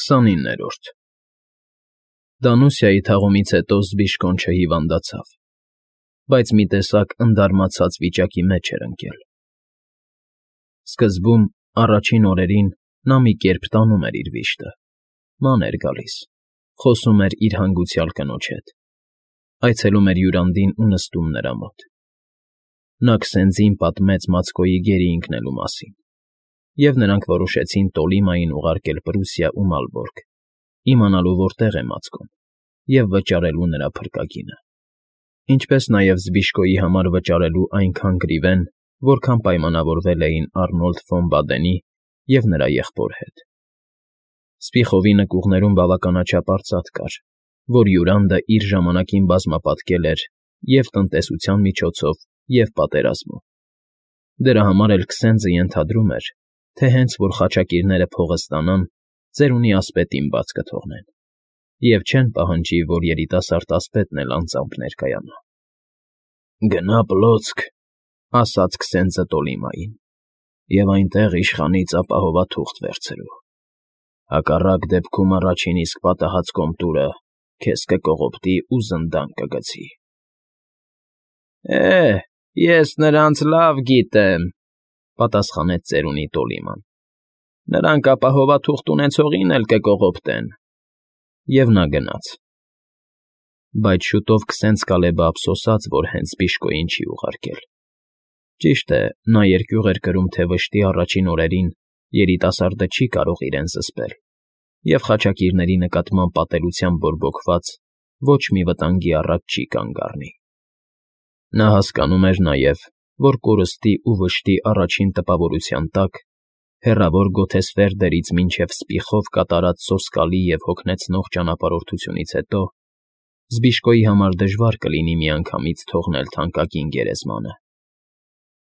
29-րդ Դանուսիայի թաղումից հետո Զբիշկոն չհիվանդացավ, բայց մի տեսակ ընդարմացած վիճակի մեջ էր ընկել. Սկզբում, առաջին օրերին նա մի կերպ տանում էր իր վիշտը, ման էր գալիս, խոսում էր իր հանգուցյալ կնոջ հետ, այցելում էր հյուրանդին ու նստում նրա մոտ. նա քսենձին պատմեց Մացկոյի գերի ընկնելու մասին, և նրանք որոշեցին Տոլիմային ուղարկել Պրուսիա ու Մալբորգ, իմանալու որտեղ է Մացկոն, և վճարելու նրա փրկագինը, ինչպես նաև Զբիշկոյի համար վճարելու այնքան գրիվեն, որքան պայմանավորվել էին Առնոլդ ֆոն Բադենի և նրա եղբոր հետ. Սպիխովի նկուղներում բավականաչափ արծաթ կար, որ Յուրանդը իր ժամանակին բազմապատկել էր և տնտեսության միջոցով, և պատերազմով. դրա համար էլ Քսենձը ենթադրում էր, թե հենց որ խաչակիրները փողը ստանան, ծերունի ասպետին բաց կթողնեն, և չեն պահանջի, որ երիտասարդ ասպետն էլ անձամբ ներկայանա։ «Գնա Պլոցք,֊ ասաց Քսենձը Տոլիմային,֊ և այնտեղ իշխանից ապահովաթուղթ վերցրու. հակառակ դեպքում առաջին իսկ պատահած կոմտուրը քեզ կկողոպտի ու զնդան կգցի»։ Ես նրանց լավ գիտեմ,֊ պատասխանեց ծերունի Տոլիման,֊ նրանք ապահովաթուղթ ունեցողին էլ կկողոպտեն։ Եվ նա գնաց։ Բայց շուտով քսենց Կալեբը ափսոսաց, որ հենց Զբիշկոյին չի ուղարկել. ճիշտ է, նա երկյուղ էր կրում, թե վշտի առաջին օրերին երիտասարդը չի կարող իրեն զսպել և խաչակիրների նկատմամբ պատելությամբ բորբոքված ոչ մի վտանգի առաջ չի կանգ առնի։ Նա հասկանում էր նաև, որ կորստի ու վշտի առաջին տպավորության տակ, հեռավոր Գոթեսֆերդերից մինչև Սպիխով կատարած սոսկալի և հոգնեցնող ճանապարհորդությունից հետո Զբիշկոյի համար դժվար կլինի միանգամից թողնել թանկագին գերեզմանը,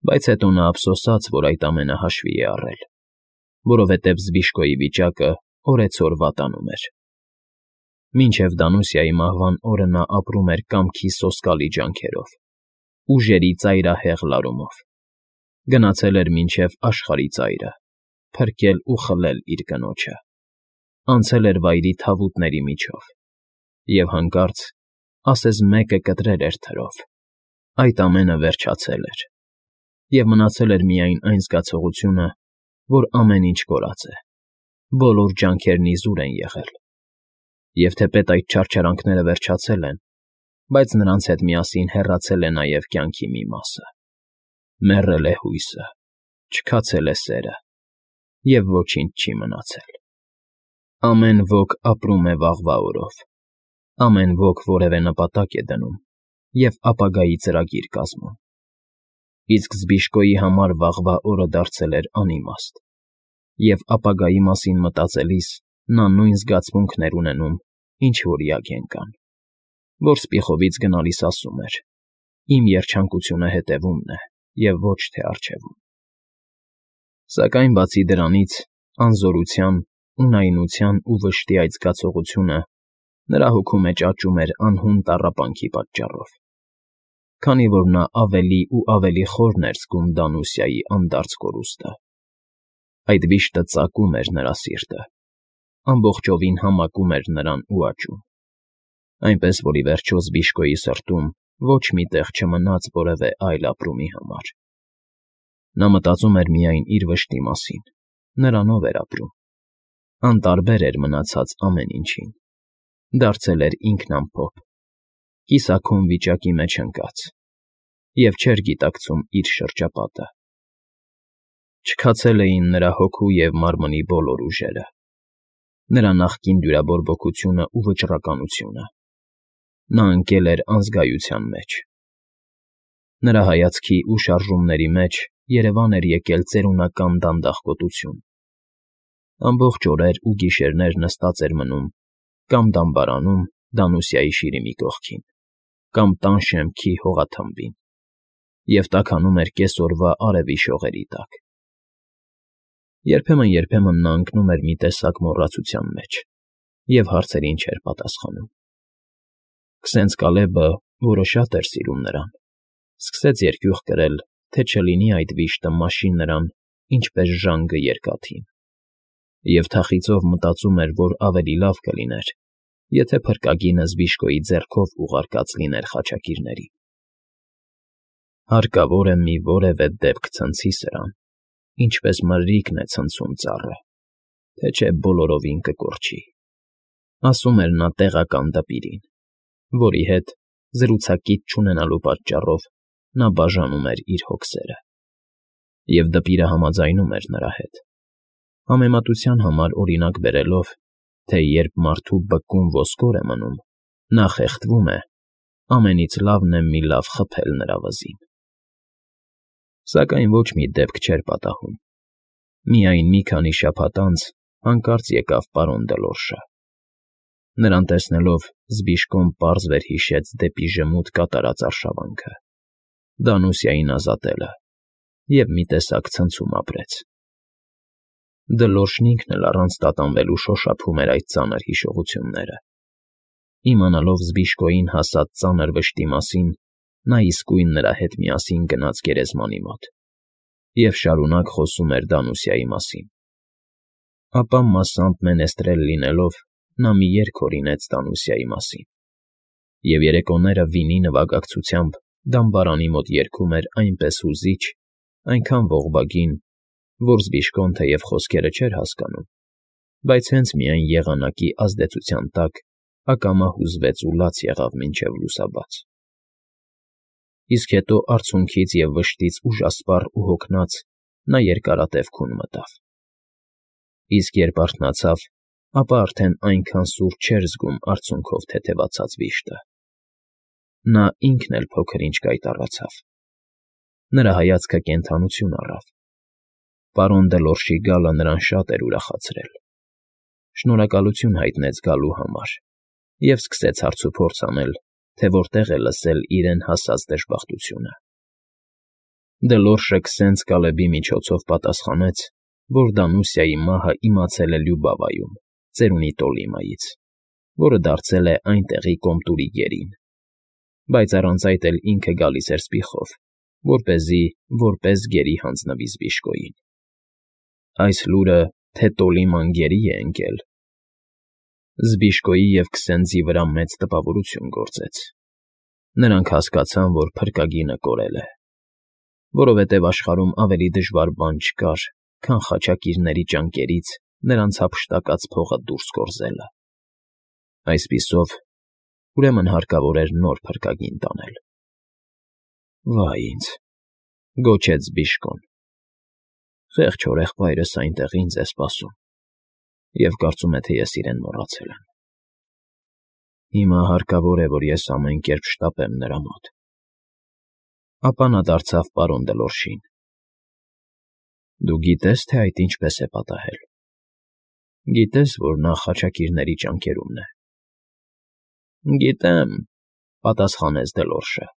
բայց հետո նա ափսոսաց, որ այդ ամենը հաշվի է առել, որովհետև Զբիշկոյի վիճակը օրեցօր վատանում էր։ Մինչև Դանուսիայի մահվան օրը նա ապրում էր կամքի սոսկալի ջանքերով, ուժերի ծայրահեղ լարումով, գնացել էր մինչև աշխարհի ծայրը, փրկել ու խլել իր կնոջը, անցել էր վայրի թավուտների միջով, և հանկարծ, ասես մեկը կտրել էր թրով, այդ ամենը վերջացել էր, և մնացել էր միայն այն զգացողությունը, որ ամեն ինչ կորած է, բոլոր ջանքերն իզուր են եղել, և թեպետ այդ չարչարանքները վերջացել են, բայց նրանց հետ միասին հեռացել է նաև կյանքի մի մասը, մեռել է հույսը, չքացել է սերը, և ոչինչ չի մնացել։ Ամեն ոք ապրում է վաղվա օրով, ամեն ոք որևէ նպատակ է դնում և ապագայի ծրագիր կազմում, իսկ Զբիշկոյի համար վաղվա օրը դարձել էր անիմաստ, և ապագայի մասին մտածելիս նա նույն զգացմունքն էր ունենում, ինչ որ Յագենկան, որ Սպիխովից գնալիս ասում էր. «Իմ երջանկությունը հետևումն է և ոչ թե առջևում»։ Սակայն բացի դրանից, անզորության, ունայնության ու վշտի այդ զգացողությունը նրա հոգու մեջ աճում էր անհուն տառապանքի պատճառով, քանի որ նա ավելի ու ավելի խորն էր զգում Դանուսիայի անդարձ կորուստը։ Այդ վիշտը ծակում էր նրա սիրտը, ամբողջովին համակում էր նրան ու աճում, այնպես որ ի վերջո Զբիշկոյի սրտում ոչ մի տեղ չմնաց որևէ այլ ապրումի համար։ Նա մտածում էր միայն իր վշտի մասին, նրանով էր ապրում, անտարբեր էր մնացած ամեն ինչին, դարձել էր ինքնամփոփ, կիսաքոն վիճակի մեջ ընկած և չէր գիտակցում իր շրջապատը։ Չքացել էին նրա հոգու և մարմնի բոլոր ուժերը, նրա նախկին դյուրաբորբոքությունը ու վճռականությունը։ Նա ընկել էր անզգայության մեջ։ Նրա հայացքի ու շարժումների մեջ երևան էր եկել ծերունական դանդաղկոտություն։ Ամբողջ օրեր ու գիշերներ նստած էր մնում կամ դամբարանում Դանուսիայի շիրիմի կողքին, կամ տան շեմքի հողաթմբին և տաքանում էր կեսօրվա արևի շողերի տակ։ Երբեմն նա ընկնում էր մի տեսակ մոռացության մեջ և հարցերին չէր պատասխանում։ Քսենց Կալեբը, որը շատ էր սիրում նրան, սկսեց երկյուղ կրել, թե չլինի այդ վիշտը մաշի նրան, ինչպես ժանգը երկաթին, Եվ թախիծով մտածում էր, որ ավելի լավ կլիներ, եթե փրկագինը Զբիշկոյի ձեռքով ուղարկած լիներ խաչակիրներին։ Հարկավոր է մի որևէ դեպք ցնցի սրան, ինչպես մրրիկն է ցնցում ծառը, թե չէ բոլորովին կկորչի, ասում էր նա տեղական դպիրին, որի հետ, զրուցակից չունենալու պատճառով, նա բաժանում էր իր հոգսերը։ Եվ դպիրը համաձայնում էր նրա հետ, համեմատության համար օրինակ բերելով, թե երբ մարդու բկում ոսկոր է մնում, նա խեղդվում է, ամենից լավն է մի լավ խփել նրա վզին։ Սակայն ոչ մի դեպք չէր պատահում։ Միայն մի քանի շաբաթ անց հանկարծ եկավ պարոն Դելորշը։ Նրան տեսնելով Զբիշկոն պարզ վերհիշեց դեպի ժմուտ կատարած արշավանքը, Դանուսիային ազատելը և մի տեսակ ցնցում ապրեց։ Դլորշն ինքն էլ առանց տատանվելու շոշափում էր այդ ծանր հիշողությունները։ Իմանալով Զբիշկոյին հասած ծանր վշտի մասին, նա իսկույն նրա հետ միասին գնաց գերեզմանի մոտ և շարունակ խոսում էր Դանուսիայի մասին։ Ապա մասամբ մենեստրել լինելով, նա մի երգ հորինեց Դանուսիայի մասին, և երեկոները վինի նվագակցությամբ դամբարանի մոտ երգում էր այնպես հուզիչ, այնքան ողբագին, որ Զբիշկոն թեև խոսքերը չէր հասկանում, բայց հենց միայն եղանակի ազդեցության տակ ակամա հուզվեց ու լաց եղավ մինչև լուսաբաց։ Իսկ հետո արցունքից և վշտից ուժասպառ ու հոգնած նա երկարատև քուն մտավ։ Իսկ երբ արթնացավ, ապա արդեն այնքան սուր չէր զգում արցունքով թեթևացած վիշտը։ Նա ինքն էլ փոքր-ինչ կայտառացավ։ Նրա հայացքը կենդանություն առավ։ Պարոն Դելորշի գալը նրան շատ էր ուրախացրել։ Շնորհակալություն հայտնեց գալու համար և սկսեց հարցուփորձ անել, թե որտեղ է լսել իրեն հասած դժբախտությունը։ Դելորշը քսենց Կալեբի միջոցով պատասխանեց, որ Դանուսիայի մահը իմացել է Լյուբավայում, ծերունի Տոլիմայից, որը դարձել է այնտեղի կոմտուրի գերին, բայց առանց այդ էլ ինքը գալիս էր սպիխով, որպեսզի որպես գերի հանձնվի Զբիշկոյին։ Այս լուրը, թե Տոլիման գերի է ընկել, Զբիշկոյի և քսենձի վրա մեծ տպավորություն գործեց։ Նրանք հասկացան, որ փրկագինը կորել է, որովհետև աշխարհում ավելի դժվար բան չկար, քան խաչակիրների ճանկերից նրանց հափշտակած փողը դուրս գործելը։ Այսպիսով, ուրեմն հարկավոր էր նոր փրկագին տանել։ Վայ ինձ, գոչեց Զբիշկոն։ Խեղճ հորեղբայրս այնտեղ ինձ է սպասում, և կարծում է, թե ես իրեն մոռացել եմ։ Հիմա հարկավոր է, որ ես ամեն կերպ շտապեմ նրա մոտ։ Ապա նա դարձավ պարոն Դելորշին։ Դու գիտե՞ս, թե այդ ինչպես է պատահել։ Գիտես, որ նա խաչակիրների ճանկերումն է։ Գիտեմ, պատասխանեց Դելորշը։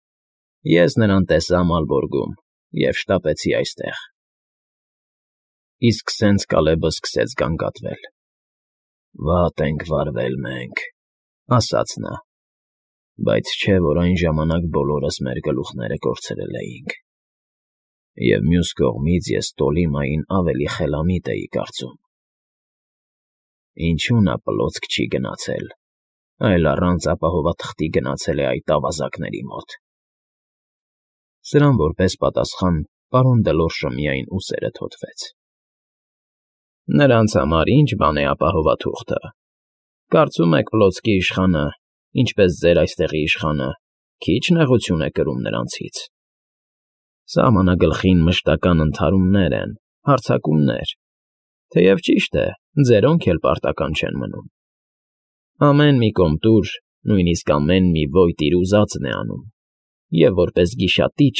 Ես նրան տեսա Մալբորգում և շտապեցի այստեղ։ Իսկ սենց Կալեբը սկսեց գանգատվել։ Վատ ենք վարվել մենք, ասաց նա, բայց չէ, որ այն ժամանակ բոլորս մեր գլուխները կորցրել էինք։ Եվ մյուս կողմից ես Տոլիմային ավելի խելամիտ էի կարծում։ Ինչու նա պլոցք չի գնացել, այլ առանց ապահովաթղթի գնացել է այդ ավազակների մոտ։ Սրան որպես պատասխան պարոն Դելորշը միայն ուսերը թոթվեց։ Նրանց համար ինչ բան է ապահովաթուղթը։ Կարծում եք պլոցկի իշխանը, ինչպես ձեր այստեղի իշխանը, քիչ նեղություն է կրում նրանցից։ Սահմանագլխին մշտական ընդհարումներ են, հարձակումներ, թեև ճիշտ է, ձերոնք էլ պարտական չեն մնում։ Ամեն մի կոմտուր, նույնիսկ ամեն մի ոյտ իր ուզածն է անում, և որպես գիշատիչ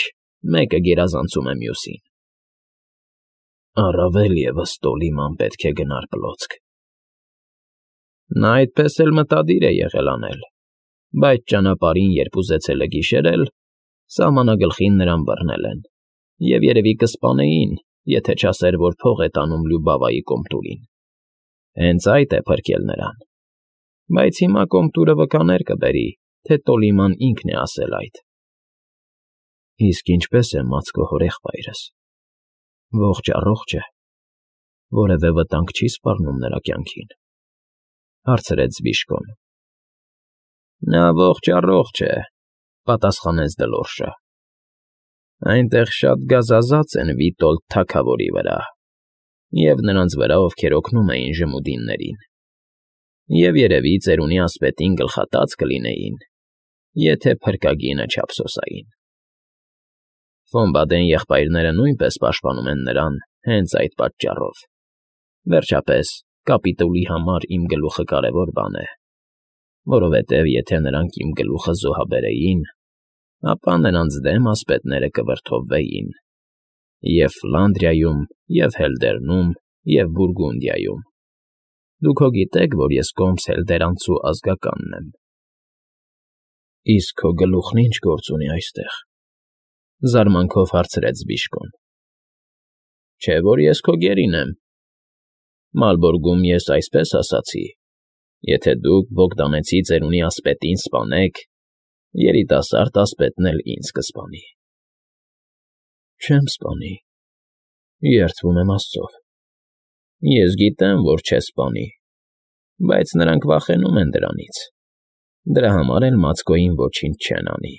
մեկը գերազանցում է մյուսին։ Առավել ևս Տոլիման պետք է գնար պլոցք։ Նա այդպես էլ մտադիր է եղել անել, բայց ճանապարհին, երբ ուզեցել է գիշերել, սահմանագլխին նրան բռնել են, և երևի կսպանեին, եթե չասեր, որ փող է տանում Լյուբավայի կոմտուրին։ Հենց այդ է փրկել նրան։ Բայց հիմա կոմտուրը վկաներ կբերի, թե Տոլիման ինքն է ասել այդ։ Իսկ ինչպե՞ս է Մացկո հորեղբայրս։ Ողջ առողջ է։ Որևէ վտանգ չի սպառնում նրա կյանքին, հարցրեց Բիժկոն։ Նա ողջ է, պատասխանեց Դլորշը։ Այնտեղ շատ գազազած են Վիտոլդ թագավորի վրա և նրանց վրա, ովքեր օգնում էին ժմուդիններին, և երևի ծերունի ասպետին գլխատած կլինեին, եթե փրկագինը չափսոսային։ Ֆոմբադեն եղբայրները նույնպես պաշտպանում են նրան հենց այդ պատճառով։ Վերջապես, կապիտուլի համար իմ գլուխը կարևոր բան է, որովհետև եթե նրանք իմ գլուխը զոհաբերեին, ապա նրանց դեմ ասպետները կվրդովվեին և Ֆլանդրիայում, և Հելդերնում, և Բուրգունդիայում։ Դուք հո գիտեք, որ ես կոմս հելդերանցու ազգականն եմ։ Իսկ քո գլուխն ի՞նչ գործ ունի այստեղ,֊ զարմանքով հարցրեց Բիժկոն։ Չէ՞ որ ես քո գերին եմ։ Մալբորգում ես այսպես ասացի. եթե դուք Բոգդանեցի ծերունի ասպետին սպանեք, երիտասարդ ասպետն էլ ինձ կսպանի։ Չեմ սպանի, երդվում եմ Աստծով։ Ես գիտեմ, որ չես սպանի, բայց նրանք վախենում են դրանից։ Դրա համար էլ Մացկոյին ոչինչ չեն անի։